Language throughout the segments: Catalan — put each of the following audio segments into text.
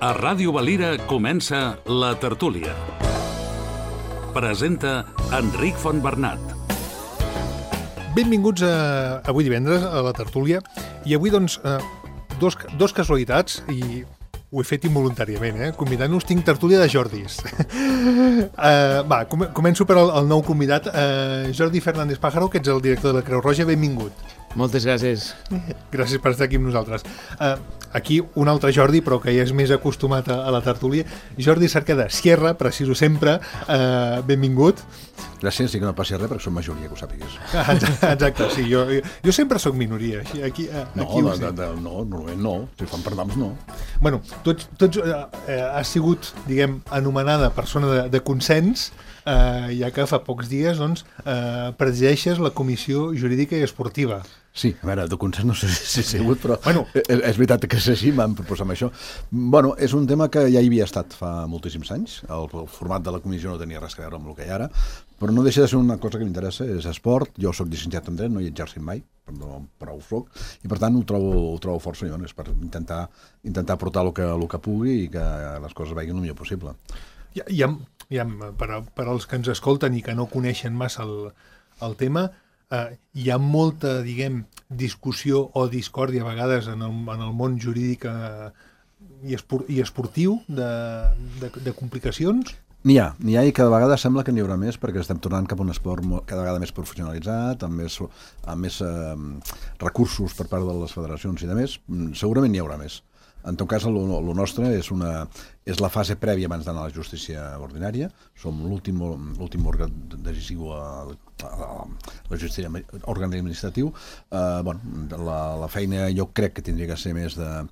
A Ràdio Valira comença La Tertúlia. Presenta Enric Fontbernat. Benvinguts avui divendres a La Tertúlia. I avui, doncs, dos casualitats, i ho he fet involuntàriament, convidant-nos, tinc tertúlia de Jordis. Començo per al nou convidat, Jordi Fernández Pájaro, que ets el director de la Creu Roja. Benvingut. Moltes gràcies. Gràcies per estar aquí amb nosaltres. Aquí un altre Jordi, però que ja és més acostumat a la tertúlia. Jordi Cerqueda, Sierra, preciso sempre. Benvingut. Gràcies, sí que no passi res perquè som majoria, que ho sàpigues. Exacte, sí, jo sempre sóc minoria. Aquí Normalment no. Si fan per noms, no. Bueno, tots has sigut, diguem, anomenada persona de consens, ja que fa pocs dies, doncs, presideixes la Comissió Jurídica i Esportiva. Sí, a veure, de consens no sé si he sigut, però és veritat que és així, m'han proposat això. Bueno, és un tema que ja hi havia estat fa moltíssims anys. El format de la comissió no tenia res a veure amb el que hi ha ara, però no deixa de ser una cosa que m'interessa, és esport. Jo soc llicenciat en dret, no hi he exercit mai, però ho soc, i per tant ho trobo força és per intentar portar el que pugui i que les coses vagin el millor possible. Per als que ens escolten i que no coneixen massa el tema, hi ha molta, diguem, discussió o discòrdia a vegades en el món jurídic i esportiu de complicacions? N'hi ha i cada vegada sembla que n'hi haurà més perquè estem tornant cap a un esport cada vegada més professionalitzat, amb més recursos per part de les federacions i de més. Segurament n'hi haurà més. En tot cas, el nostre és la fase prèvia abans d'anar a la justícia ordinària. Som l'últim òrgan decisiu a la justícia òrgan administratiu. La feina jo crec que tindria que ser més de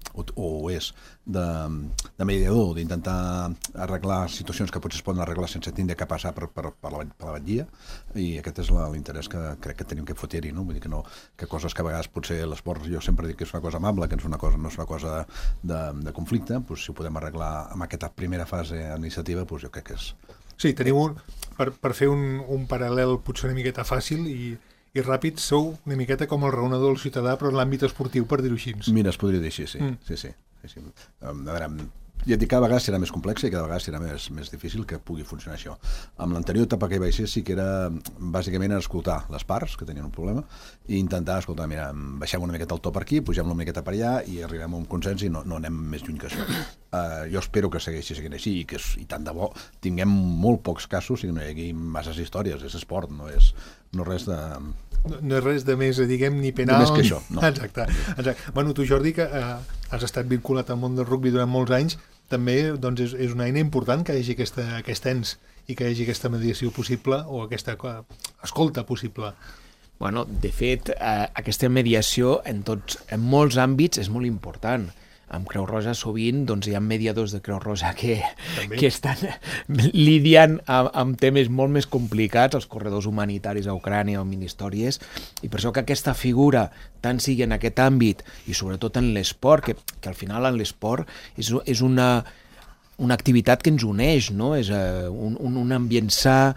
mediador, d'intentar arreglar situacions que potser es poden arreglar sense tindre que passar per la batllia, i aquest és l'interès que crec que tenim que fotre-hi, no? Vull dir que coses que a vegades potser l'esport, jo sempre dic que és una cosa amable, que no és una cosa de conflicte, doncs si ho podem arreglar amb aquesta primera fase administrativa, doncs jo crec que és... Sí, teniu, per fer un paral·lel potser una miqueta fàcil i ràpid, sou una miqueta com el raonador del ciutadà, però en l'àmbit esportiu, per dir-ho així. Mira, es podria dir així, sí. A veure, ja et dic, cada vegada serà més complex i cada vegada serà més difícil que pugui funcionar això. Amb l'anterior etapa que hi vaig ser sí que era bàsicament escoltar les parts que tenien un problema i intentar escoltar, mira, baixem una miqueta el to per aquí, pugem una miqueta per allà i arribem a un consens i no anem més lluny que això. Jo espero que segueixi sent així i tant de bo tinguem molt pocs casos i no hi hagi masses històries. És esport, no és res de... No és res de més, diguem, ni penal... Més que això, no. Exacte. Bueno, tu, Jordi, que has estat vinculat al món del rugbi durant molts anys, també doncs, és una eina important que hi hagi aquest ens i que hi hagi aquesta mediació possible o aquesta escolta possible. Bueno, de fet, aquesta mediació en molts àmbits és molt important. Amb Creu Roja sovint doncs, hi ha mediadors de Creu Roja que estan lidiant amb temes molt més complicats, els corredors humanitaris a Ucrània o mini-històries, i per això que aquesta figura, tant sigui en aquest àmbit i sobretot en l'esport, que al final en l'esport és una activitat que ens uneix, no? És un ambient sa,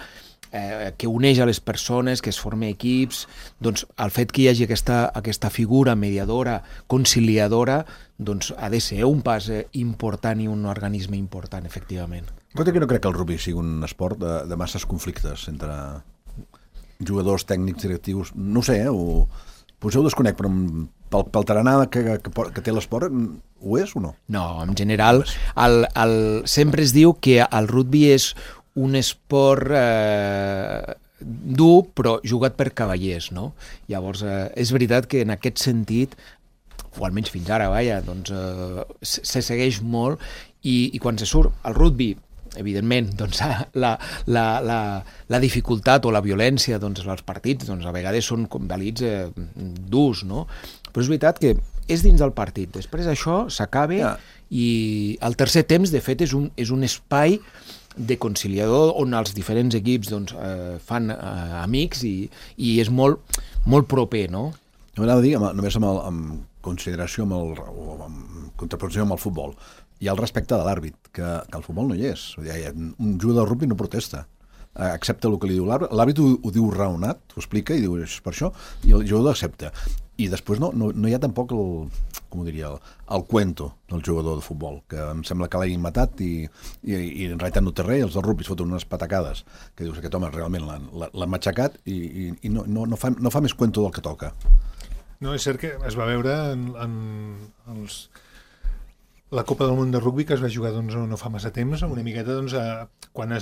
que uneix a les persones, que es formen equips, doncs el fet que hi hagi aquesta figura mediadora, conciliadora, doncs ha de ser un pas important i un organisme important, efectivament. Cosa que no crec que el rugby sigui un esport de masses conflictes entre jugadors, tècnics, directius, no sé, potser ho desconec, però pel tarannà que té l'esport, ho és o no? No, en general, sempre es diu que el rugby és un esport dur, però jugat per cavallers, no? Llavors, és veritat que en aquest sentit, o almenys fins ara, doncs, se segueix molt, i quan se surt el rugby, evidentment, doncs, la dificultat o la violència doncs, als partits doncs, a vegades són convalits durs, no? Però és veritat que és dins del partit. Després això s'acaba i el tercer temps, de fet, és un espai de conciliador on els diferents equips doncs, fan amics i és molt proper, no? M'agrada dir, només amb consideració, amb contraposició amb el futbol, hi ha el respecte de l'àrbit, que el futbol no hi és. Un jugador de rugby no protesta, accepta el que li diu l'àrbit, l'àrbit ho diu raonat, ho explica i diu és per això, i el jugador accepta. I després no hi ha tampoc com ho diria, el cuento del jugador de futbol, que em sembla que l'hagin matat i en realitat no té res, els del rugby es foten unes patacades que dius, aquest home realment l'han matxacat i no fa més cuento del que toca. No, és cert que es va veure la Copa del Món de Rugby, que es va jugar no fa massa temps, una miqueta quan hi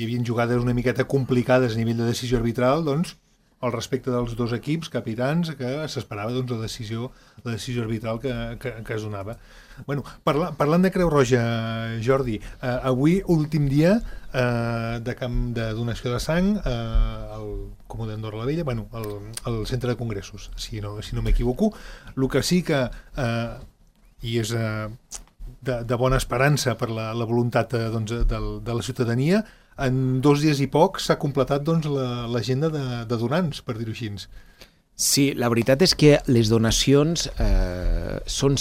havia jugades una miqueta complicades a nivell de decisió arbitral, al respecte dels dos equips, capitans, que s'esperava la decisió arbitral que es donava. Bueno, parlant de Creu Roja, Jordi, avui, últim dia de camp de donació de sang al Comú d'Andorra la Vella, al centre de congressos, si no m'equivoco. El que sí que, i és de bona esperança per la voluntat de la ciutadania, en 2 dies i poc s'ha completat l'agenda de donants, per dir-ho així. Sí, la veritat és que les donacions són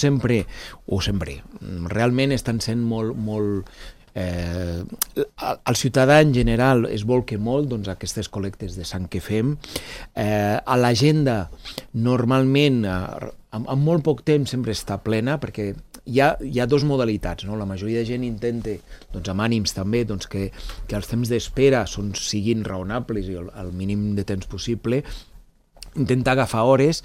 realment estan sent molt... el ciutadà en general es volca molt aquestes col·lectes de sang que fem. A l'agenda normalment en molt poc temps sempre està plena, perquè hi ha dues modalitats, no? La majoria de gent intenta, amb ànims també, que els temps d'espera siguin raonables i el mínim de temps possible, intenta agafar hores,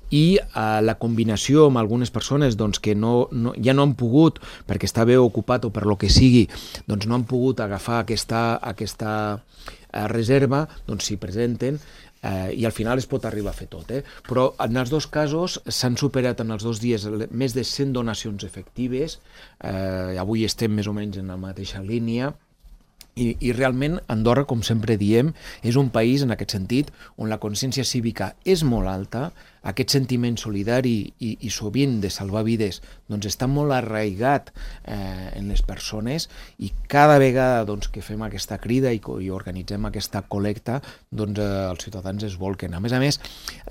i la combinació amb algunes persones que ja no han pogut, perquè està bé ocupat o per lo que sigui, no han pogut agafar aquesta reserva, s'hi presenten, i al final es pot arribar a fer tot. Però en els dos casos s'han superat en els 2 dies més de 100 donacions efectives, avui estem més o menys en la mateixa línia, i realment Andorra, com sempre diem, és un país en aquest sentit on la consciència cívica és molt alta, aquest sentiment solidari i sovint de salvar vides està molt arraigat en les persones, i cada vegada que fem aquesta crida i organitzem aquesta col·lecta, els ciutadans es volquen. A més,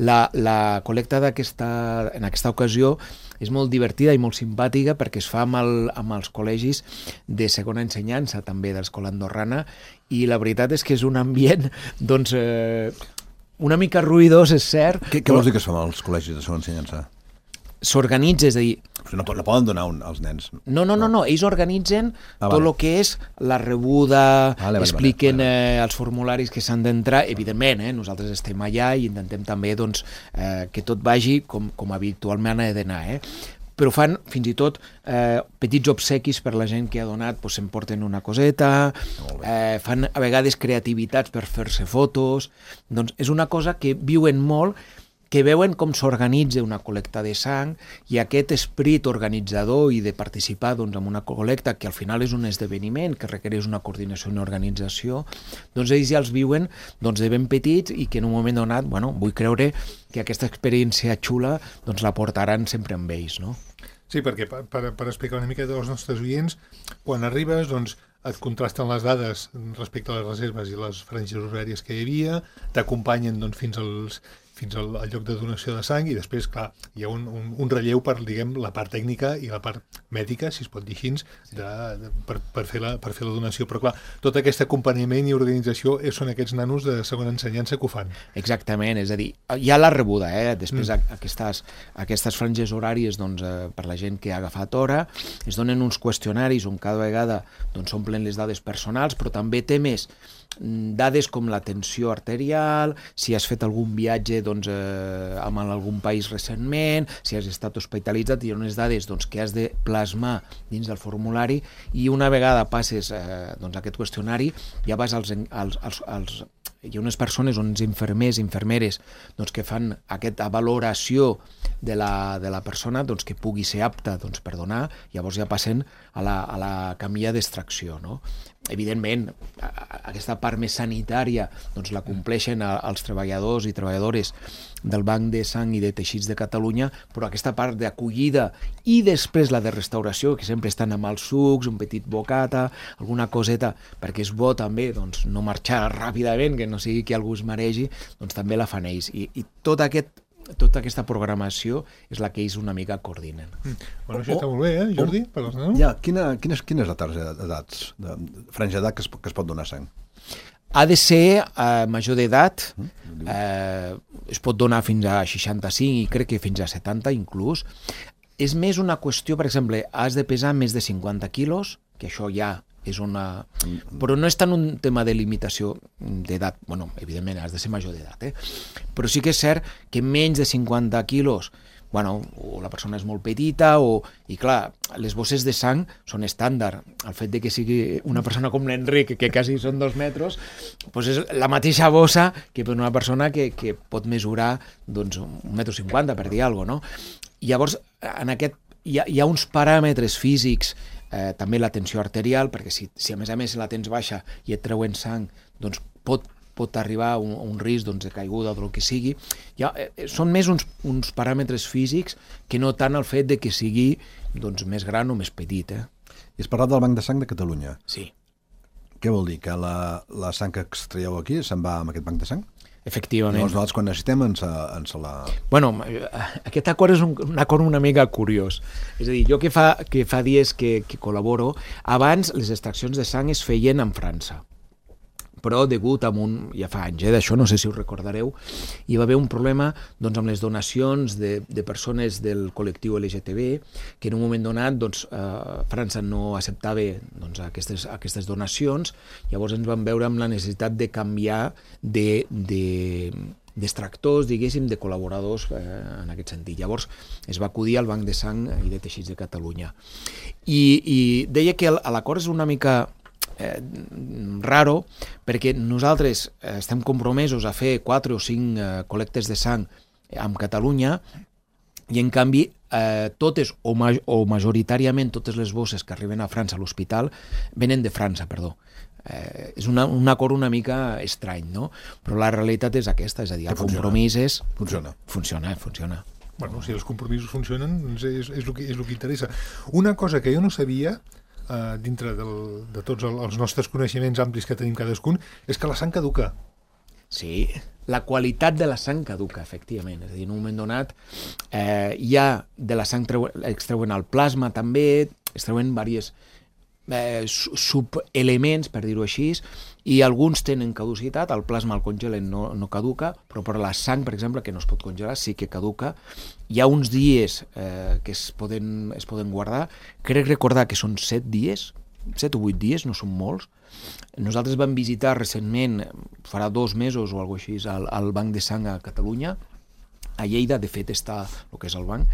la col·lecta en aquesta ocasió és molt divertida i molt simpàtica, perquè es fa amb els col·legis de segona ensenyança també de l'escola andorrana, i la veritat és que és un ambient una mica ruïdós, és cert. Què vols dir que es fa amb els col·legis de segona ensenyança? S'organitza, és a dir... No poden donar als nens. No, ells organitzen tot el que és la rebuda, expliquen els formularis que s'han d'entrar, evidentment, nosaltres estem allà i intentem també que tot vagi com habitualment ha d'anar, però fan fins i tot petits obsequis per la gent que ha donat, s'emporten una coseta, fan a vegades creativitats per fer-se fotos, és una cosa que viuen molt, que veuen com s'organitza una col·lecta de sang, i aquest esperit organitzador i de participar en una col·lecta que al final és un esdeveniment que requereix una coordinació i una organització, ells ja els viuen de ben petits, i que en un moment donat, vull creure que aquesta experiència xula la portaran sempre amb ells, no? Sí, perquè per explicar una mica als nostres oients, quan arribes et contrasten les dades respecte a les reserves i les franges horàries que hi havia, t'acompanyen fins al lloc de donació de sang, i després, clar, hi ha un relleu per, la part tècnica i la part mèdica, si es pot dir així, per fer la donació. Però, clar, tot aquest acompanyament i organització són aquests nanos de segona ensenyança que ho fan. Exactament, és a dir, hi ha la rebuda, després aquestes franges horàries per la gent que ha agafat hora, es donen uns qüestionaris on cada vegada s'omplen les dades personals, però també temes dades com la tensió arterial, si has fet algun viatge amb algun país recentment, si has estat hospitalitzat, hi ha unes dades que has de plasmar dins del formulari, i una vegada passes aquest qüestionari ja vas hi ha unes persones, uns infermers, infermeres, que fan aquesta valoració de la persona que pugui ser apta per donar, llavors ja passen a la camilla d'extracció, no? Evidentment, aquesta part més sanitària la compleixen els treballadors i treballadores del Banc de Sang i de Teixits de Catalunya, però aquesta part d'acollida i després la de restauració, que sempre estan amb els sucs, un petit bocata, alguna coseta, perquè és bo també no marxar ràpidament, que no sigui que algú es maregi, també la fan ells. I tota aquesta programació és la que ells una mica coordinen. Bueno, això està molt bé, Jordi? Per als nanos? Ja, quina és la tarja d'edats, franja d'edat que es pot donar sang? Ha de ser major d'edat, es pot donar fins a 65 i crec que fins a 70 inclús. és més una qüestió, per exemple, has de pesar més de 50 quilos, que això ja és una... Però no és tant un tema de limitació d'edat. Bueno, evidentment, has de ser major d'edat, però sí que és cert que menys de 50 quilos, bueno, o la persona és molt petita, i clar, les bosses de sang són estàndard. El fet de que sigui una persona com l'Enric, que quasi són 2 metres, doncs és la mateixa bossa que per una persona que pot mesurar doncs, 1,50 m, per dir alguna cosa, no? Llavors, en aquest, hi ha uns paràmetres físics, també la tensió arterial, perquè si a més la tens baixa i et treuen sang, doncs pot arribar a un risc de caiguda o del que sigui. Són més uns paràmetres físics que no tant el fet de que sigui més gran o més petit. I has parlat del Banc de Sang de Catalunya. Sí. Què vol dir? Que la sang que extraieu aquí se'n va amb aquest banc de sang? Efectivament. Llavors nosaltres quan necessitem ens la... Bueno, aquest acord és un acord una mica curiós. És a dir, jo que fa dies que col·laboro, abans les extraccions de sang es feien en França. Però degut a ja fa anys d'això, no sé si us recordareu, hi va haver un problema amb les donacions de persones del col·lectiu LGTB, que en un moment donat França no acceptava aquestes donacions, llavors ens vam veure amb la necessitat de canviar d'extractors, diguéssim, de col·laboradors en aquest sentit. Llavors es va acudir al Banc de Sang i de Teixits de Catalunya. I deia que l'acord és una mica raro, perquè nosaltres estem compromesos a fer 4 o 5 col·lectes de sang amb Catalunya i en canvi totes o majoritàriament totes les bosses que arriben a França a l'hospital venen de França, perdó. És un acord una mica estrany, no? Però la realitat és aquesta, és a dir, el compromís és... Funciona. Bueno, si els compromisos funcionen, és el que interessa. Una cosa que jo no sabia, dintre de tots els nostres coneixements amplis que tenim cadascun, és que la sang caduca. Sí, la qualitat de la sang caduca, efectivament. És a dir, en un moment donat hi ha de la sang extreuen el plasma també, extreuen diversos subelements, per dir-ho així, i alguns tenen caducitat, el plasma el congelen, no caduca, però per la sang, per exemple, que no es pot congelar, sí que caduca. Hi ha uns dies que es poden guardar, crec recordar que són 7 dies, 7 o 8 dies, no són molts. Nosaltres vam visitar recentment, farà 2 mesos o alguna cosa així, el Banc de Sang a Catalunya, a Lleida, de fet, està el que és el banc,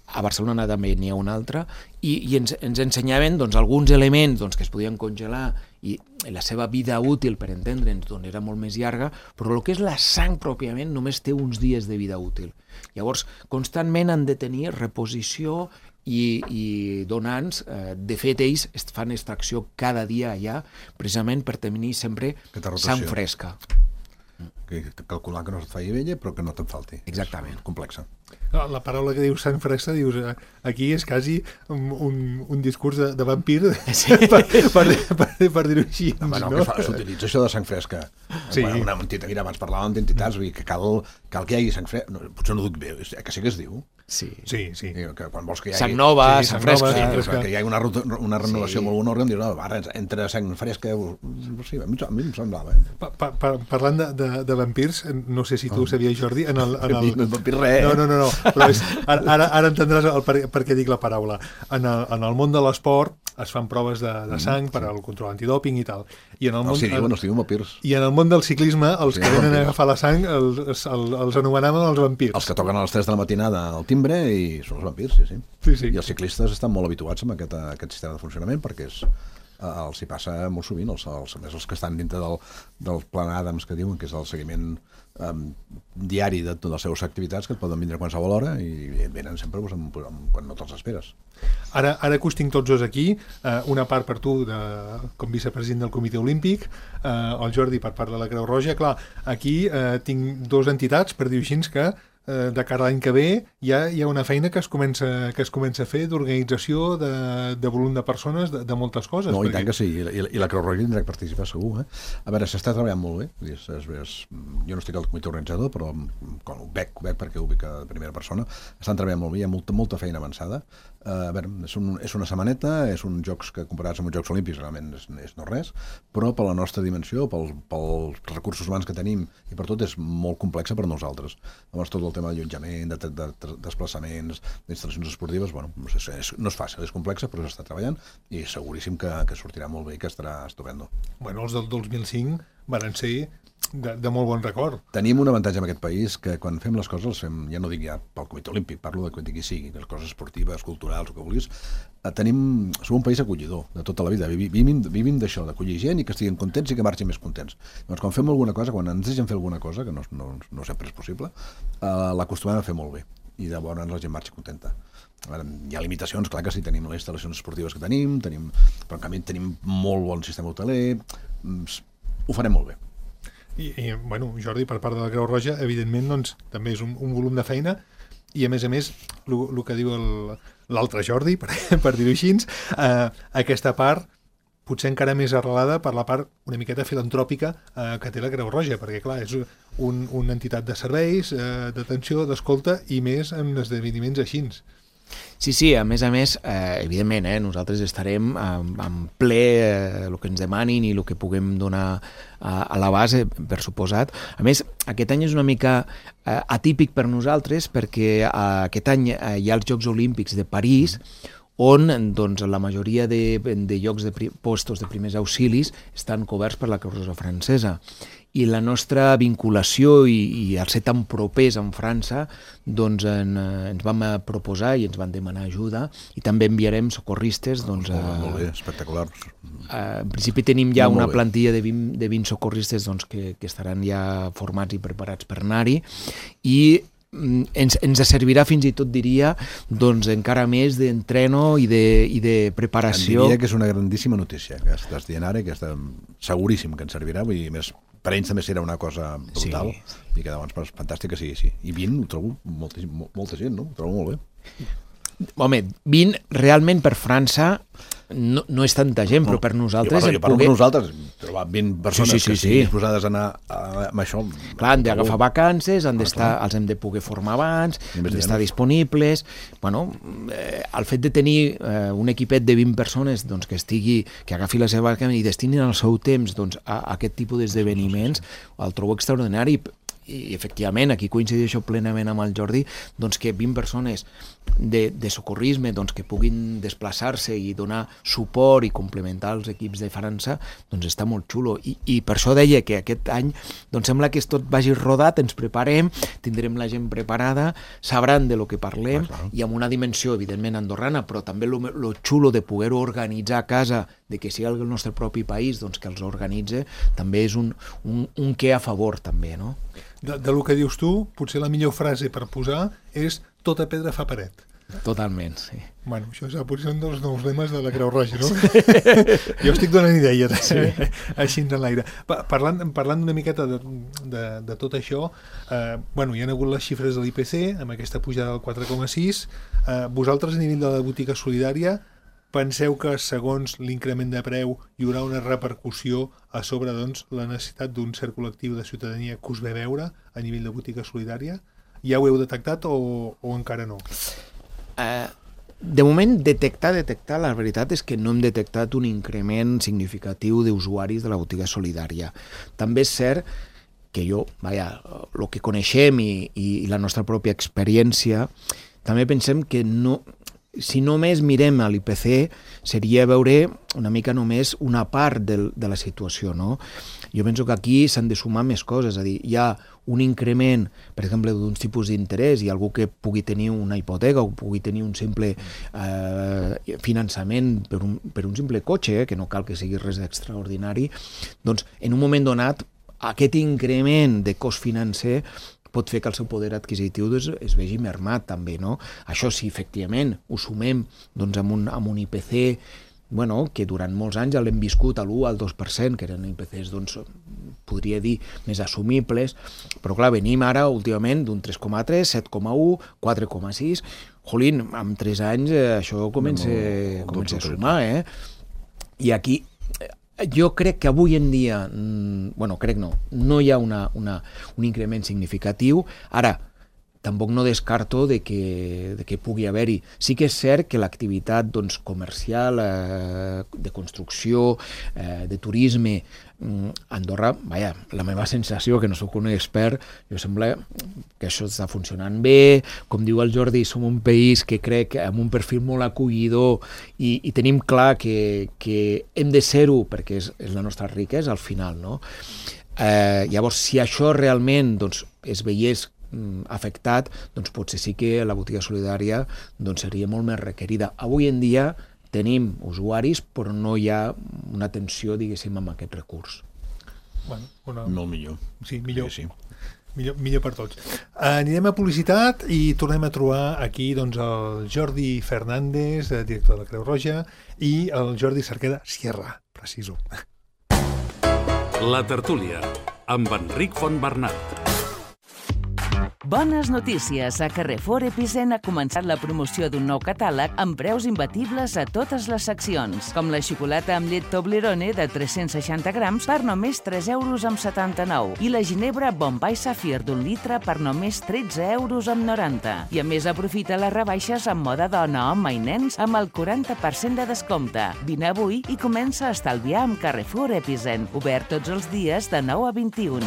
a Barcelona també n'hi ha un altre, i ens ensenyaven alguns elements que es podien congelar i la seva vida útil, per entendre'ns, era molt més llarga, però el que és la sang pròpiament només té uns dies de vida útil. Llavors, constantment han de tenir reposició i donants. De fet, ells fan extracció cada dia allà, precisament per tenir sempre sang fresca. Calcular que no et faci vella, però que no te'n falti. Exactament. Complexa. La paraula que dius sang fresca, dius, aquí és quasi un discurs de vampir, sí. per dir-ho així. No? S'utilitza això de sang fresca. Sí. Una entitat, mira, abans parlàvem d'entitats, que cal que hi hagi sang fresca. No, potser no ho dic bé, que sí que es diu. Sí. Que quan vols que hi hagi... Sang nova, sang fresca. Que hi hagi una renovació amb algun òrgan, dius, no, ara, entre sang fresca... Sí, a mi em semblava. Parlant de vampirs, no sé si tu ho sabies, Jordi, en el... No vampir res. No, però ara entendràs per què dic la paraula. En el món de l'esport es fan proves de sang per al control antidòping i tal. I en el món, no es diuen vampirs. I en el món del ciclisme, els que venen a agafar la sang els anomenaven els vampirs. Els que toquen a les 3 de la matinada al timbre i són els vampirs, sí. I els ciclistes estan molt habituats amb aquest sistema de funcionament perquè els hi passa molt sovint, els que estan dintre del Plan Adams, que diuen que és el seguiment diari de totes les seves activitats, que et poden vindre a qualsevol hora i venen sempre quan no te'ls esperes. Ara que us tinc tots dos aquí, una part per tu com vicepresident del Comitè Olímpic, el Jordi per part de la Creu Roja. Clar, aquí tinc 2 entitats, per dir-ho així, que de cara a l'any que ve hi ha una feina que es comença a fer d'organització, de volum de persones, de moltes coses. No, i tant que sí, i la Creu Roja tindrà que participar segur. A veure, s'està treballant molt bé. Jo no estic al comitè organitzador, però ho veig perquè ho veig de primera persona. Estan treballant molt bé, hi ha molta feina avançada. A veure, és una setmaneta, és uns jocs que comparats amb uns Jocs Olímpics realment és no res, però per la nostra dimensió, pels recursos humans que tenim i per tot és molt complexa per nosaltres. Llavors tot el tema d'allotjament, de desplaçaments, d'instal·lacions esportives, bueno, no és fàcil, és complexa, però s'està treballant i seguríssim que sortirà molt bé i que estarà estupendo. Bueno, els del 2005 van ser de molt bon record. Tenim un avantatge en aquest país que quan fem les coses, ja no dic ja pel Comitè Olímpic, parlo de quan digui sigui, les coses esportives, culturals, el que vulguis, som un país acollidor de tota la vida, vivim d'això, d'acollir gent i que estiguin contents i que marxin més contents. Doncs quan fem alguna cosa, quan ens deixen fer alguna cosa, que no sempre és possible, l'acostumem a fer molt bé i llavors la gent marxa contenta. Hi ha limitacions, clar que sí, tenim les instal·lacions esportives que tenim, però en canvi tenim molt bon sistema hoteler, ho farem molt bé. I bueno, Jordi, per part de la Creu Roja, evidentment, doncs, també és un volum de feina i, a més, el que diu l'altre Jordi, per dir-ho així, aquesta part potser encara més arrelada per la part una miqueta filantròpica que té la Creu Roja, perquè, clar, és una entitat de serveis, d'atenció, d'escolta i més en esdeveniments així. Sí, a més, evidentment, nosaltres estarem en ple el que ens demanin i el que puguem donar a la base, per suposat. A més, aquest any és una mica atípic per nosaltres perquè aquest any hi ha els Jocs Olímpics de París, on doncs, la majoria de llocs de postos de primers auxilis estan coberts per la Creu Roja francesa. I la nostra vinculació i al ser tan propers en França, doncs ens vam proposar i ens van demanar ajuda i també enviarem socorristes. Doncs, molt bé, espectacular. En principi tenim ja una plantilla de 20 socorristes doncs, que estaran ja formats i preparats per anar-hi i ens servirà fins i tot, diria, doncs encara més d'entreno i de preparació. Em diria que és una grandíssima notícia que estàs dient ara i que seguríssim que ens servirà, vull dir, més per ells també serà una cosa brutal i que llavors fantàstic que sigui. I 20 ho trobo molta gent, no? Ho trobo molt bé. Home, 20 realment per França no és tanta gent, però per nosaltres... Jo parlo per nosaltres, trobar 20 persones que estiguin disposades a anar amb això... Clar, han d'agafar vacances, els hem de poder formar abans, han d'estar disponibles... Bueno, el fet de tenir un equipet de 20 persones doncs, que agafi la seva vacances i destinin el seu temps doncs, a aquest tipus d'esdeveniments, el trobo extraordinari. I efectivament, aquí coincideixo plenament amb el Jordi, doncs que 20 persones de socorrisme doncs, que puguin desplaçar-se i donar suport i complementar els equips de França, doncs està molt xulo. I per això deia que aquest any doncs sembla que tot vagi rodat, ens preparem, tindrem la gent preparada, sabran de lo que parlem, i amb una dimensió, evidentment, andorrana, però també lo xulo de poder-ho organitzar a casa, de que sigui el nostre propi país doncs, que els organitza, també és un què a favor, també, no? De lo que dius tu, potser la millor frase per posar és tota pedra fa paret. Totalment, sí. Bueno, això potser un dels nous lemes de la Creu Roja, no? Jo estic donant idees, així en l'aire. Parlant una miqueta de tot això, bueno, hi ha hagut les xifres de l'IPC, amb aquesta pujada del 4,6. Vosaltres, a nivell de la botiga solidària, penseu que, segons l'increment de preu, hi haurà una repercussió a sobre doncs, la necessitat d'un cert col·lectiu de ciutadania que us ve veure a nivell de botiga solidària? Ja ho heu detectat o encara no? De moment, detectar, la veritat és que no hem detectat un increment significatiu d'usuaris de la botiga solidària. També és cert que el que coneixem i la nostra pròpia experiència, també pensem que no... Si només mirem a l'IPC, seria veure una mica només una part de la situació, no? Jo penso que aquí s'han de sumar més coses, és a dir, hi ha un increment, per exemple, d'uns tipus d'interès, i algú que pugui tenir una hipoteca o pugui tenir un simple finançament per un simple cotxe, que no cal que sigui res d'extraordinari, doncs en un moment donat aquest increment de cost financer pot fer que el seu poder adquisitiu es vegi mermat també, no? Això sí, efectivament, ho sumem doncs, amb un IPC que durant molts anys ja l'hem viscut a l'1 al 2%, que eren IPCs, doncs, podria dir, més assumibles, però clar, venim ara últimament d'un 3,3, 7,1, 4,6... Jolín, amb 3 anys això comença a sumar, I aquí... Jo crec que avui en dia, no hi ha un increment significatiu. Ara, tampoc no descarto de que pugui haver-hi. Sí que és cert que l'activitat comercial, de construcció, de turisme, Andorra, la meva sensació, que no sóc un expert, jo sembla que això està funcionant bé. Com diu el Jordi, som un país que crec amb un perfil molt acollidor i tenim clar que hem de ser-ho perquè és la nostra riquesa al final, no? Llavors, si això realment es veiés afectat, potser sí que la botiga solidària seria molt més requerida. Avui en dia tenim usuaris, però no hi ha una atenció, diguéssim, amb aquest recurs. Molt millor. Sí, millor. Sí. Millor per tots. Anirem a publicitat i tornem a trobar aquí el Jordi Fernández, director de la Creu Roja, i el Jordi Cerqueda Sierra, preciso. La tertúlia, amb Enric Fontbernat. Bones notícies! A Carrefour Epicent ha començat la promoció d'un nou catàleg amb preus imbatibles a totes les seccions, com la xocolata amb llet Toblerone de 360 grams per només 3,79 € i la ginebra Bombay Safir d'1 litre per només 13,90 €. I a més aprofita les rebaixes en moda dona, home i nens amb el 40% de descompte. Vine avui i comença a estalviar amb Carrefour Epicent, obert tots els dies de 9 a 21.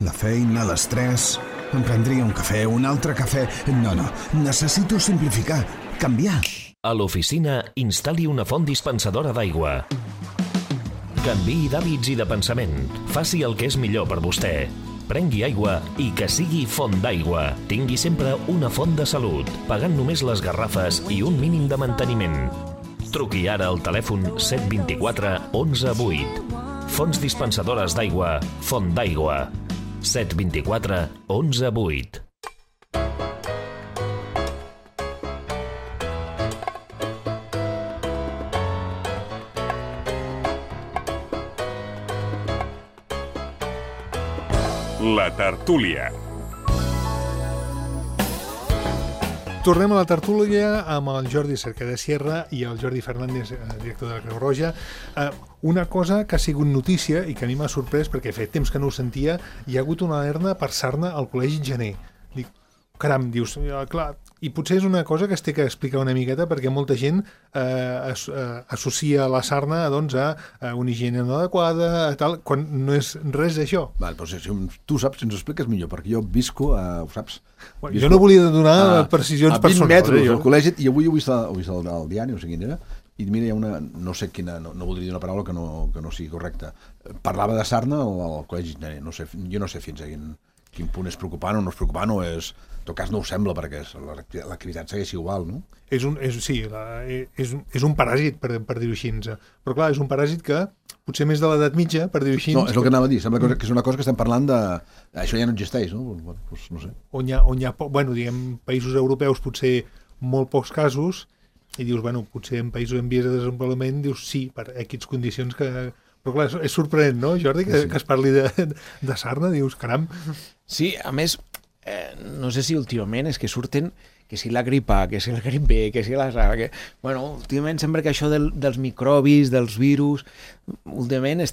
La feina, l'estrès... Em prendria un cafè, un altre cafè... No, necessito simplificar, canviar. A l'oficina, instal·li una font dispensadora d'aigua. Canviï d'hàbits i de pensament. Faci el que és millor per vostè. Prengui aigua i que sigui font d'aigua. Tingui sempre una font de salut, pagant només les garrafes i un mínim de manteniment. Truqui ara al telèfon 724 11 8. Fonts dispensadores d'aigua, Font d'Aigua. 724 11 8. La tertúlia. Tornem a la tertúlia amb el Jordi Cerqueda Sierra i el Jordi Fernández, director de la Creu Roja. Una cosa que ha sigut notícia i que a mi m'ha sorprès perquè feia temps que no ho sentia, hi ha hagut una alerta per sarna al Col·legi Gener. Dic, caram, dius, clar, i potser és una cosa que es té que explicar una miqueta perquè molta gent associa la sarna a una higiene no adequada, tal, quan no és res d'això. Val, però si tu saps, si ens ho expliques millor, perquè jo visco, ho saps? Bueno, jo no volia donar precisions personals. A 20 metres del col·legi, i avui ho he vist al diari, no sé quin era, i mira, hi ha una, no sé quina, no voldria dir una paraula que no sigui correcta. Parlava de sarna al col·legi, jo no sé fins a quin punt és preocupant o no és preocupant, o és... En tot cas no ho sembla, perquè l'activitat segueix igual, no? És un paràsit, per dir-ho així. Però clar, és un paràsit que potser més de l'edat mitja, per dir-ho així... No, és el que anava a dir. Sembla que és una cosa que estem parlant de... Això ja no existeix, no? Pues no sé. On hi ha països europeus potser molt pocs casos, i dius, potser en països en vies de desenvolupament, dius sí, per aquestes condicions que... Però clar, és sorprenent, no, Jordi, que es parli de sarna, dius, caram. Sí, a més, no sé si últimament és que surten que si la gripa, que si el grip B, que si la sarna, que... Bueno, últimament sembla que això dels microbis, dels virus, últimament ens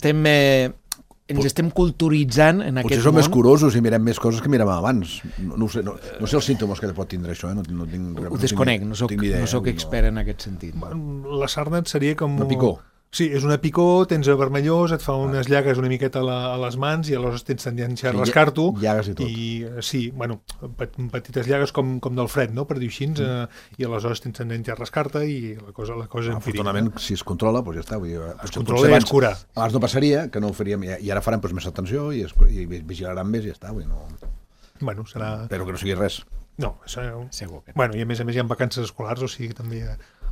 estem culturitzant en aquest món. Potser som més curosos i mirem més coses que miràvem abans. No sé els símptomes que pot tindre això, Ho desconec, no soc expert en aquest sentit. La sarna seria com... Una picor. Sí, és una picor, tens vermellós, et fa unes llagues una miqueta a les mans i aleshores tens tendència a rascar-t'ho. Llagues i tot. Sí, petites llagues com del fred, no?, per dir així, i aleshores tens tendència a rascar-te i la cosa afortunadament, si es controla, doncs ja està. Es controla i es cura. Abans no passaria, que no ho faríem, i ara farem més atenció i vigilaran més i ja està. Serà... Però que no sigui res. No, segur que no. I a més hi ha vacances escolars, o sigui que també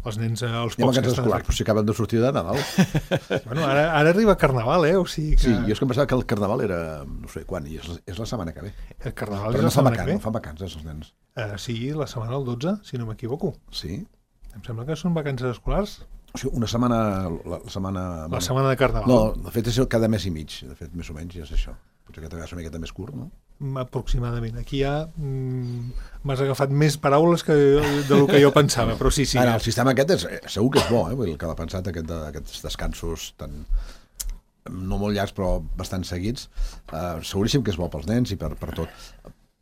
els nens, els pocs... Hi ha vacances escolars, però si acaben de sortir de Nadal. Ara arriba Carnaval, o sigui que... Sí, jo és que em pensava que el Carnaval era, no sé quan, i és la setmana que ve. El Carnaval és la setmana que ve? No fan vacances, els nens. Sí, la setmana del 12, si no m'equivoco. Sí? Em sembla que són vacances escolars. O sigui, una setmana... La setmana de Carnaval. No, de fet és cada mes i mig, de fet, més o menys, ja és això. Potser que és una miqueta més curt, no? Aproximadament. Aquí ja m'has agafat més paraules del que jo pensava, però sí. Ara, el sistema aquest segur que és bo, el que l'ha pensat, aquests descansos tan... no molt llargs, però bastant seguits. Seguríssim que és bo pels nens i per tot.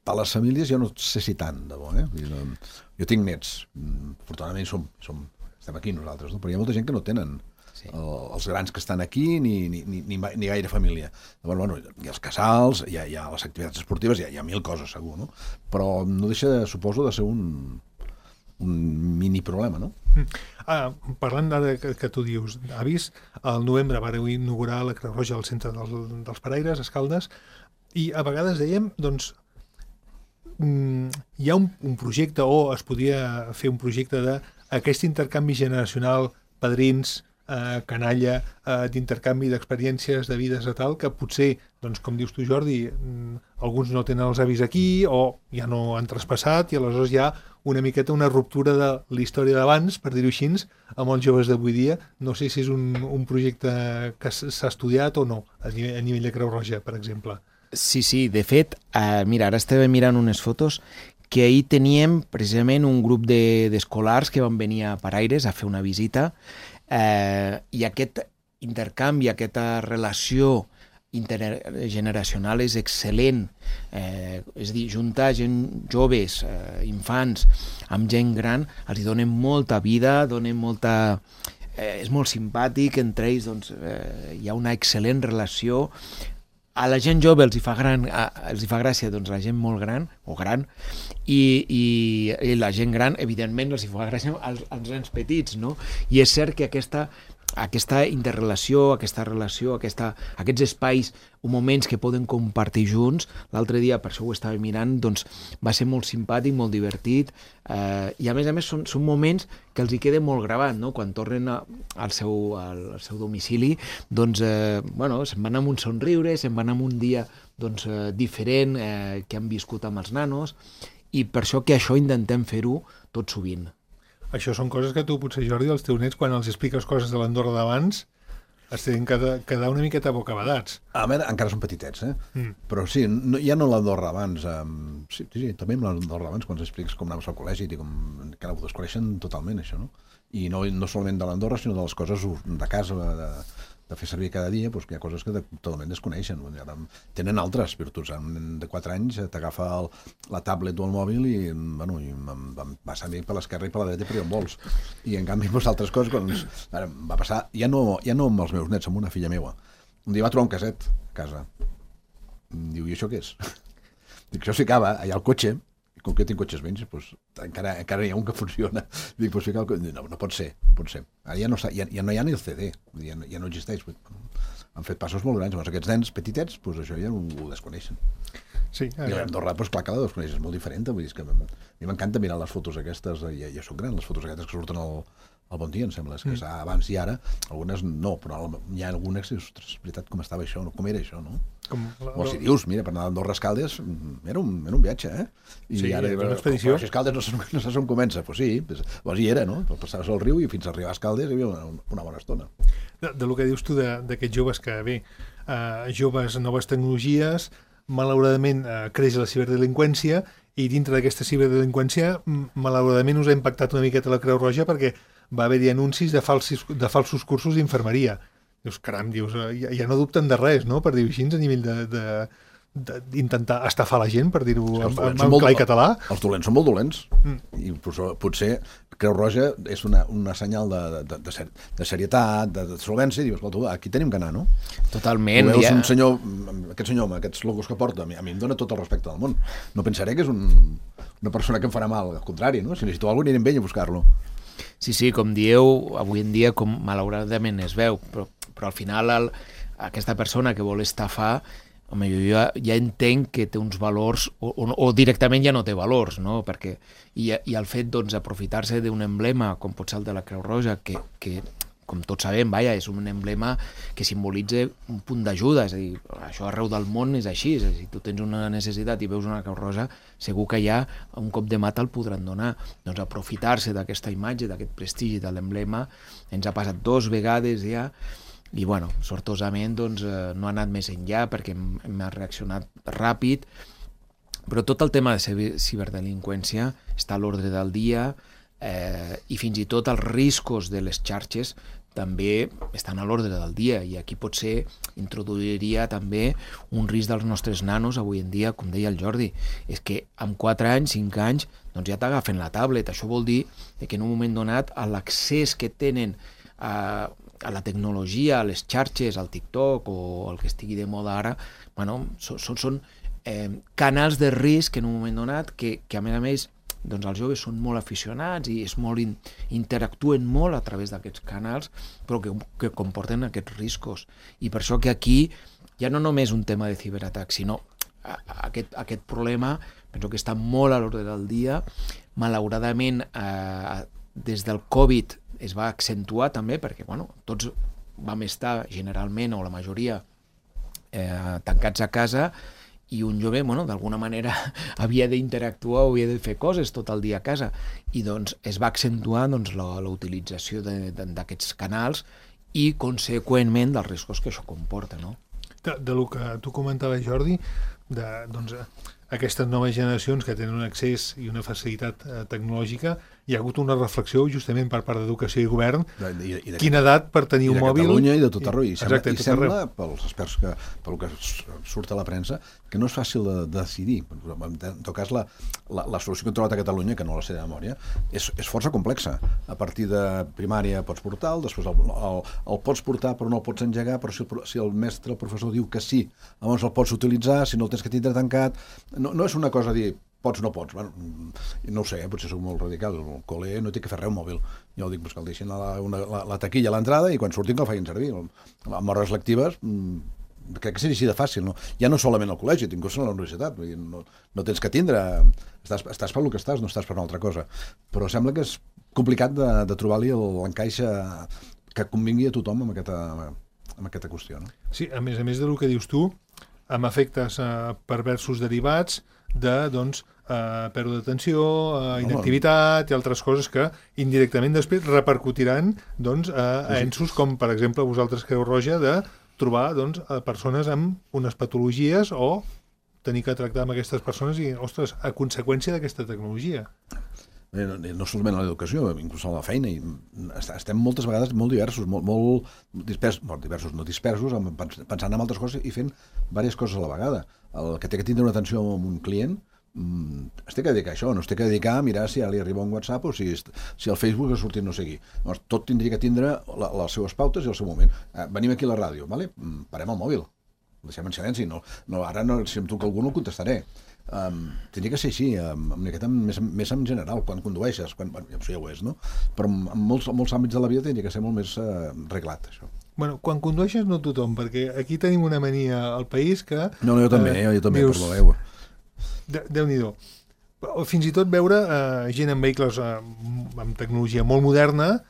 per les famílies jo no sé si tant, de bo, Jo tinc nets, afortunadament estem aquí nosaltres, no? Però hi ha molta gent que no tenen els grans que estan aquí ni gaire família. Llavors, hi ha els casals, hi ha les activitats esportives, hi ha 1000 coses segur, no? Però no deixa, suposo, de ser un mini problema, no? Parlant d'ara que tu dius, avis, al novembre vareu inaugurar la Creu Roja al centre dels Paraires, a Escaldes, i a vegades dèiem, doncs, hi ha un projecte, o es podia fer un projecte d'aquest intercanvi generacional, padrins, canalla, d'intercanvi d'experiències, de vides a tal, que potser, doncs, com dius tu, Jordi, alguns no tenen els avis aquí o ja no han traspassat i aleshores hi ha una miqueta una ruptura de la història d'abans, per dir-ho així, amb els joves d'avui dia. No sé si és un projecte que s'ha estudiat o no, a nivell de Creu Roja, per exemple. Sí, de fet, mira, ara estava mirant unes fotos que ahir teníem precisament un grup d'escolars que van venir a Paraires a fer una visita i aquest intercanvi, aquesta relació intergeneracional és excel·lent, és a dir, juntar gent joves, infants, amb gent gran, els donen molta vida, és molt simpàtic, entre ells doncs, hi ha una excel·lent relació. A la gent jove els hi fa gràcia doncs, la gent molt gran o gran i la gent gran evidentment els hi fa gràcia als nens petits, no? I és cert que aquesta interrelació, aquesta relació, aquests espais o moments que poden compartir junts, l'altre dia, per això ho estava mirant, doncs va ser molt simpàtic, molt divertit, i a més són moments que els hi queda molt gravat, no? Quan tornen al seu domicili, doncs, se'n van amb un somriure, se'n van amb un dia doncs, diferent que han viscut amb els nanos, i per això que això intentem fer-ho tot sovint. Això són coses que tu, potser, Jordi, als teus nets, quan els expliques coses de l'Andorra d'abans, es tenen que quedar una miqueta bocabadats. A veure, encara són petitets, Però sí, ja no l'Andorra abans. Sí, també amb l'Andorra abans, quan expliques com anaves al col·legi, com encara ho desconeixen totalment, això, no? I no solament de l'Andorra, sinó de les coses de casa, de fer servir cada dia, doncs hi ha coses que totalment desconeixen. Tenen altres virtuts. Un nen de 4 anys t'agafa la tablet o el mòbil i va servir per l'esquerra i per la dreta per on vols. I en canvi, altres coses, va passar, ja no amb els meus nets, amb una filla meva. Un dia va trobar un caset a casa. Diu, i això què és? Dic, això s'hi acaba allà al cotxe, i com que jo tinc cotxes menys, doncs, encara hi ha un que funciona. Dic, doncs fica no pot ser. Ara ja no hi ha ni el CD, ja no existeix. Han fet passos molt grans, llavors aquests nens petitets, doncs això ja ho desconeixen. Sí, I a Andorra, doncs clar que la desconeixes, és molt diferent. Vull dir, que a mi m'encanta mirar les fotos aquestes, ja són grans, les fotos aquestes que surten al Bon Dia, em sembla, que és abans i ara, algunes no, però hi ha algunes que, ostres, és veritat, com estava això, com era això, no? O si dius, mira, per anar a Andorra a Escaldes era un viatge, I ara era una expedició. Si Escaldes no saps on comença, doncs sí, doncs hi era, no? Passaves al riu i fins a arribar a Escaldes hi havia una bona estona. Del que dius tu d'aquests joves que, joves, noves tecnologies, malauradament creix la ciberdelinqüència i dintre d'aquesta ciberdelinqüència malauradament us ha impactat una miqueta la Creu Roja perquè va haver-hi anuncis de falsos cursos d'infermeria. Dius, caram, ja no dubten de res, no?, per dir-ho així, a nivell d'intentar estafar la gent, per dir-ho en clar i català. Els dolents són molt dolents. I potser Creu Roja és una senyal de serietat, de solvència, i dius, escolta, aquí tenim que anar, no? Totalment. Tu veus un senyor, aquest senyor amb aquests logos que porta, a mi em dona tot el respecte del món. No pensaré que és una persona que em farà mal, al contrari, no? Si necessito alguna cosa, anirem amb ell a buscar-lo. Sí, com dieu, avui en dia, com malauradament es veu, però al final aquesta persona que vol estafar, home, jo ja entenc que té uns valors o directament ja no té valors, no? Perquè, i el fet d'aprofitar-se d'un emblema com pot ser el de la Creu Roja, que com tots sabem, és un emblema que simbolitza un punt d'ajuda, és a dir, això arreu del món és així, és a dir, si tu tens una necessitat i veus una Creu Roja, segur que ja un cop de mà te'l podran donar. Doncs aprofitar-se d'aquesta imatge, d'aquest prestigi de l'emblema, ens ha passat 2 vegades ja, i bueno, sortosament doncs, no ha anat més enllà perquè hem reaccionat ràpid, però tot el tema de ciberdelinqüència està a l'ordre del dia, i fins i tot els riscos de les xarxes també estan a l'ordre del dia, i aquí potser introduiria també un risc dels nostres nanos avui en dia, com deia el Jordi, és que amb 4 anys, 5 anys, doncs ja t'agafen la tablet. Això vol dir que en un moment donat l'accés que tenen a la tecnologia, a les xarxes, al TikTok o el que estigui de moda ara, bueno, són canals de risc en un moment donat que a més, doncs els joves són molt aficionats i interactuen molt a través d'aquests canals, però que comporten aquests riscos. I per això que aquí ja no només un tema de ciberatac, sinó aquest problema penso que està molt a l'ordre del dia. Malauradament, des del Covid es va accentuar també, perquè tots vam estar generalment, o la majoria, tancats a casa, i un jove, d'alguna manera havia d'interactuar o havia de fer coses tot el dia a casa, i doncs es va accentuar la utilització d'aquests canals i, conseqüentment, dels riscos que això comporta, no? Del que tu comentaves, Jordi, aquestes noves generacions que tenen un accés i una facilitat tecnològica, hi ha hagut una reflexió justament per part d'Educació i Govern, quina edat per tenir un mòbil... I de Catalunya i de tot arreu. I sembla, pels experts, pel que surt a la premsa, que no és fàcil de decidir. En tot cas, la solució que hem trobat a Catalunya, que no la sé de memòria, és força complexa. A partir de primària pots portar, després el pots portar però no el pots engegar, però si el mestre, el professor diu que sí, llavors el pots utilitzar, si no el tens que tindre tancat... No és una cosa dir pots o no pots. Bueno, no ho sé, potser soc molt radical. El col·le no té que fer res un mòbil. Jo dic que el deixin la taquilla a l'entrada i quan surtin que el facin servir. Amb hores lectives crec que seria així de fàcil. No? Ja no solament al col·legi, inclús a la universitat. No tens que tindre... Estàs per lo que estàs, no estàs per una altra cosa. Però sembla que és complicat de trobar-li l'encaix que convingui a tothom amb aquesta qüestió. No? Sí, a més del que dius tu, amb efectes perversos derivats de pèrdua d'atenció, inactivitat i altres coses que indirectament després repercutiran a ensos com, per exemple, vosaltres, Creu Roja, de trobar persones amb unes patologies o tenir que tractar amb aquestes persones i, ostres, a conseqüència d'aquesta tecnologia. No solament a l'educació, inclús a la feina. Estem moltes vegades molt diversos, molt diversos, no dispersos, pensant en altres coses i fent diverses coses a la vegada. El que té que tindre una atenció amb un client es té que dedicar a això, no es té que dedicar a mirar si ja li arriba un WhatsApp o si el Facebook ha sortit no sé qui. Tot tindria que tindre les seues pautes i el seu moment. Venim aquí a la ràdio, parem el mòbil, el deixem en silenci. Ara si em truca algú no el contestaré. Tindria que ser així, més en general, quan condueixes, això ja ho és, no? Però en molts àmbits de la vida tindria que ser molt més reglat, això. Bueno, quan condueixes no tothom, perquè aquí tenim una mania al país que... No, jo també, dius, perdó. Déu-n'hi-do. Fins i tot veure gent en vehicles amb tecnologia molt moderna,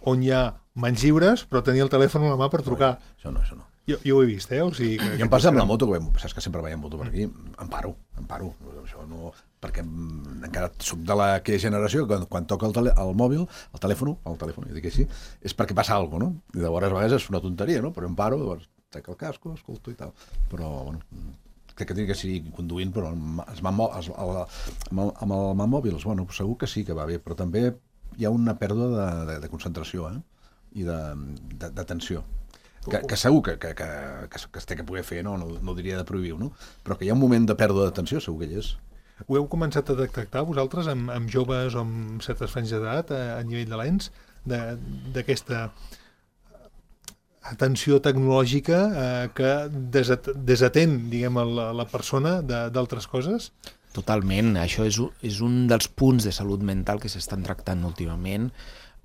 on hi ha mans lliures, però tenir el telèfon a la mà per trucar. Això no. Jo ho he vist, O sigui, jo em passa amb la moto, saps que sempre veiem moto per aquí, em paro. Això no, perquè encara soc de aquella generació que quan toca el mòbil, el telèfon, jo dic així, és perquè passa alguna cosa, no? I llavors a vegades és una tonteria, no? Però em paro, llavors trec el casco, escolto i tal. Però, crec que tindria que seguir conduint, però amb el mòbils, segur que sí que va bé, però també hi ha una pèrdua de concentració i d'atenció. Que segur que es té que poder fer, no diria de prohibir-ho, no? Però que hi ha un moment de pèrdua d'atenció, segur que hi és. Ho heu començat a detectar vosaltres amb joves o amb certes franges d'edat a nivell de l'ENS, d'aquesta atenció tecnològica que desatén, diguem, la persona d'altres coses? Totalment. Això és un dels punts de salut mental que s'estan tractant últimament.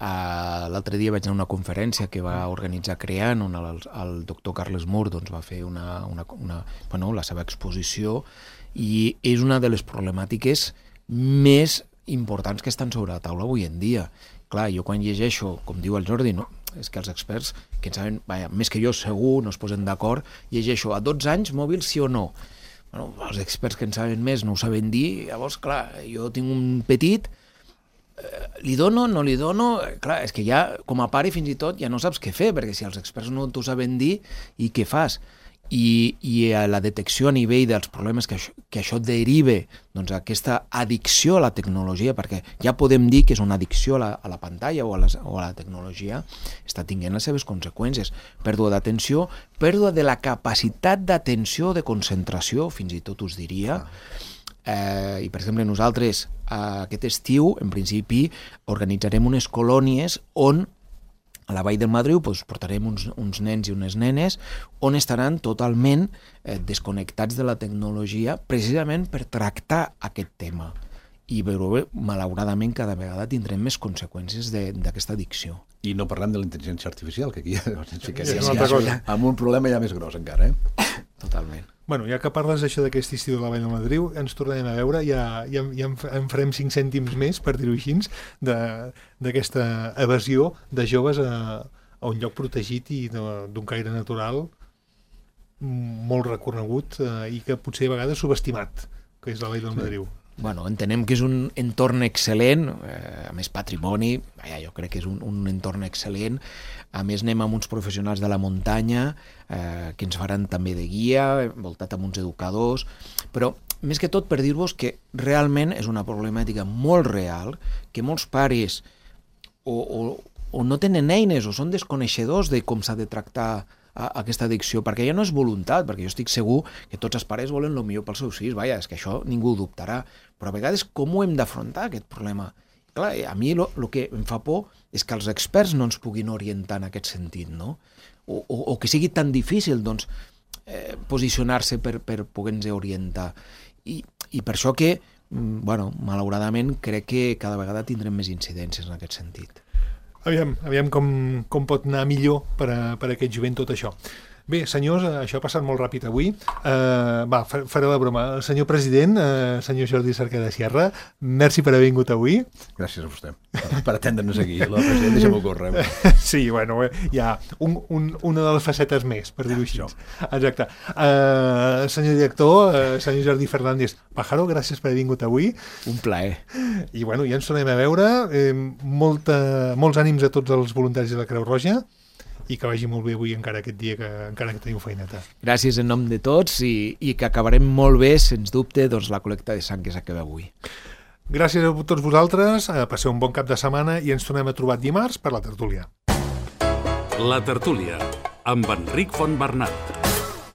L'altre dia vaig anar a una conferència que va organitzar CREAN, on el doctor Carles Mur va fer la seva exposició, i és una de les problemàtiques més importants que estan sobre la taula avui en dia. Clar, jo quan llegeixo, com diu el Jordi, no? És que els experts, que en saben, més que jo segur, no es posen d'acord, llegeixo a 12 anys mòbil sí o no. Els experts que en saben més no ho saben dir, llavors, clar, jo tinc un petit, li dono, no li dono... Clar, és que ja, com a pare, fins i tot, ja no saps què fer, perquè si els experts no t'ho saben dir, i què fas? i a la detecció a nivell dels problemes que això derive, doncs, aquesta addicció a la tecnologia, perquè ja podem dir que és una addicció a la pantalla o a la tecnologia, està tinguent les seves conseqüències. Pèrdua d'atenció, pèrdua de la capacitat d'atenció, de concentració, fins i tot us diria. I, per exemple, nosaltres aquest estiu, en principi, organitzarem unes colònies on a la Vall del Madriu portarem uns nens i unes nenes on estaran totalment desconnectats de la tecnologia precisament per tractar aquest tema. I malauradament cada vegada tindrem més conseqüències d'aquesta addicció. I no parlem de la intel·ligència artificial, que aquí amb un problema ja més gros encara. Totalment. Bueno, ja que parles d'això d'aquest estiu de la Vall del Madriu, ens tornarem a veure, ja en farem 5 cèntims més, per dir-ho així, d'aquesta evasió de joves a un lloc protegit i d'un caire natural molt reconegut i que potser a vegades subestimat, que és la Vall del Madriu. Bueno, entenem que és un entorn excel·lent, a més patrimoni, jo crec que és un entorn excel·lent. A més anem amb uns professionals de la muntanya que ens faran també de guia, envoltat amb uns educadors, però més que tot per dir-vos que realment és una problemàtica molt real, que molts pares o no tenen eines o són desconeixedors de com s'ha de tractar aquesta addicció, perquè ja no és voluntat, perquè jo estic segur que tots els pares volen el millor pels seus fills, és que això ningú ho dubtarà, però a vegades com ho hem d'afrontar, aquest problema? Clar, a mi el que em fa por és que els experts no ens puguin orientar en aquest sentit, no? O que sigui tan difícil, doncs, posicionar-se per poder-nos orientar. I per això que, malauradament, crec que cada vegada tindrem més incidències en aquest sentit. Aviam com pot anar millor per a aquest jovent tot això. Bé, senyors, això ha passat molt ràpid avui. Faré la broma. El senyor president, senyor Jordi Cerqueda Sierra, merci per haver vingut avui. Gràcies a vostè per atendre'ns aquí. La president, deixa'm-ho córrer. Sí, bueno, hi ha una de les facetes més, per dir-ho així. Exacte. Senyor director, senyor Jordi Fernández Pájaro, gràcies per haver vingut avui. Un plaer. I bueno, ja ens tornem a veure. Molts ànims a tots els voluntaris de la Creu Roja i que vagi molt bé avui encara aquest dia, encara que teniu feineta. Gràcies en nom de tots i que acabarem molt bé, sens dubte, doncs, la col·lecta de sang que s'acaba avui. Gràcies a tots vosaltres, passeu un bon cap de setmana i ens tornem a trobar dimarts per la tertúlia. La tertúlia, amb Enric Fontbernat.